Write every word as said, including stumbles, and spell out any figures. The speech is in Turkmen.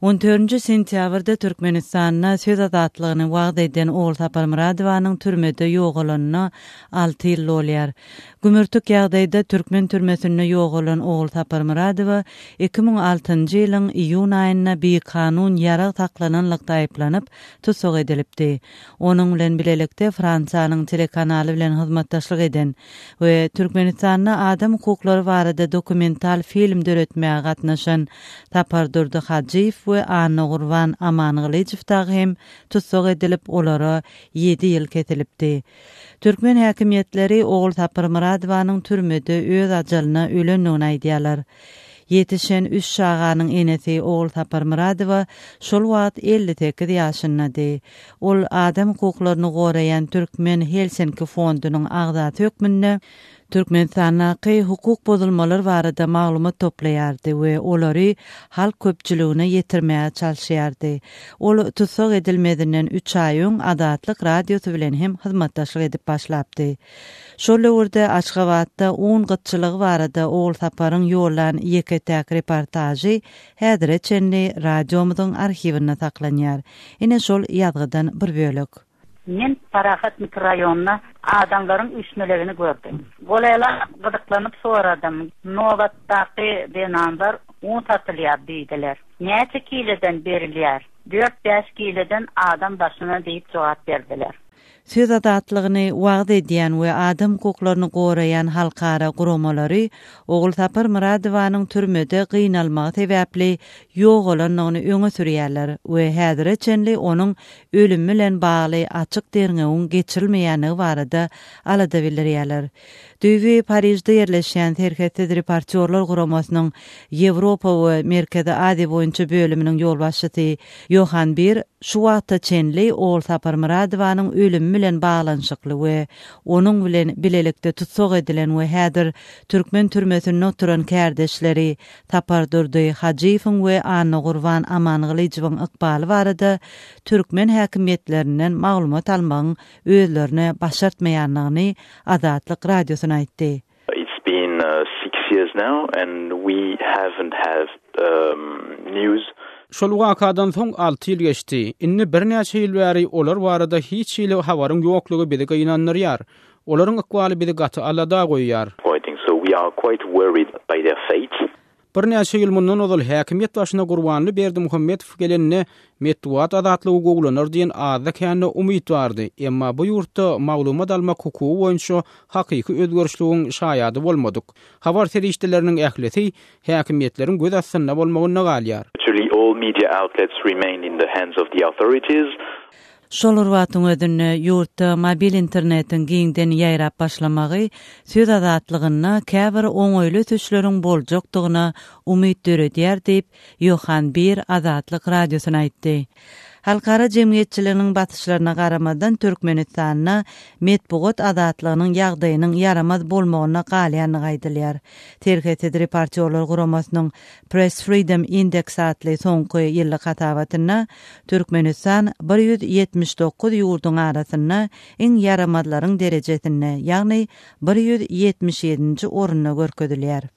On dördünji sentýabrda Türkmenistanda söz azatlygyny wagyz eden Ogulsapar Myradowanyň türmede ýogalanyna alty ýyl bolýar. Gümürtik ýagdaýda türkmen türmesinde ýogalan Ogulsapar Myradowa iki müň altynjy ýylyň iýun aýynda bikanun ýarag saklananlykda aýyplanyp, tussag edilipdi. Onuň bilen bilelikde Fransiýanyň telekanaly bilen hyzmatdaşlyk eden we Türkmenistanda adam hukuklary barada dokumental film döretmäge gatnaşan Sapardurdy Hajyýew we Annagurban Amangylyjow dagy hem tussag edilip, olara ýedi ýyl kesilipdi. Türkmen häkimiýetleri Ogulsapar Myradowanyň türmede öz ajalyna ölendigini aýdýarlar. Ýetişen üç çaganyň enesi Ogulsapar Myradowa şol wagt elli sekiz ýaşyndady. Ol adam hukuklaryny goraýan Türkmen Helsinki fondunyň agzasy hökmünde Türkmenistandaky hukuk bozulmalar barada maglumat toplaýardy we olary halk köpçüligine ýetirmäge çalyşýardy. Ol tussag edilmezinden üç aý öň Azatlyk radiosy bilen hem hyzmatdaşlyk edip başlapdy. Şol döwürde Aşgabatda un gytçylygy barada Ogulsaparyň ýollan ýeke-täk reportažy häzire çenli radiomyzyň arhiwinde saklanýar. Ine şol ýazgydan bir bölek. Men Parahat mikrorayonuna adamlaryň üýşmelegini gördüm. Golaýla gyzyklanyp soradym. Nobatdaky zenanlar un satylýar diýdiler. Näçe kileden berilýär? Dört-bäş kileden adam başyna diýip jogap berdiler. Söz azatlygyny wagyz edýän we adam hukuklaryny goraýan halkara guramalary Ogulsapar Myradowanyň türmede gynalmagy sebäpli ýogalandygyny öňe sürýärler we häzire çenli onuň ölümi bilen bagly açyk derňewiň geçirilmeýändigi barada alada bildirýärler. Düýbi Parižde ýerleşýän Serhetsiz reportýorlar guramasynyň Ýewropa we Merkezi Aziýa boýunça bölüminiň ýolbaşçysy Johan Bir şu wagta çenli Ogulsapar Myradowanyň ölümi bilen baglanyşykly we onuň bilen bilelikde tussag edilen we häzir türkmen türmesinde oturan kärdeşleri Sapardurdy Hajyýewiň we Annagurban Amangylyjowyň ykbaly barada türkmen häkimiýetlerinden maglumat almagyň özlerine başartmaýandygyny Azatlyk radiosyna aýtdy. It's been, uh, six years now and we haven't had, um, news. Şol wakadan soň alty ýyl geçdi. Indi birnäçe ýyl bäri olar barada hiç hili habaryň ýoklugy bizi gynandyrýar. Olaryň ykbaly bizi gaty alada goýýar. So we are quite worried by their fate. Birnäçe ýyl mundan ozal häkimiýet başyna Gurbanly Berdimuhamedow gelenine metbugat azatlygy gowlanar diýen azda kände umyt bardy. Emma bu ýurtda maglumat almak hukugy boýunça hakyky özgerişligiň şaýady bolmadyk. Habar serişdeleriniň ählisi häkimiýetleriň göz astynda bolmagynda galýar. Virtually all media outlets remain in the hands of the authorities. Şol bir wagtyň özünde ýurtda mobil internetiň giňden ýaýrap başlamagy söz azatlygynda käbir oňaýly ösüşleriň boljakdygyna umyt döredýär diýip Johan Bir Azatlyk radiosyna aýtdy. Halkara jemgyýetçiliginiň basyşlaryna garamazdan Türkmenistanda metbugat azatlygynyň ýagdaýynyň ýaramaz bolmagyna galýandygy aýdylýar. Serhetsiz reportýorlar guramasynyň Press Freedom Index atly soňky ýyllyk hasabatynda Türkmenistan bir ýüz ýetmiş dokuz ýurduň arasynda iň ýaramazlaryň derejesinde, ýagny bir ýüz ýetmiş ýedinji orunda görkezilýär.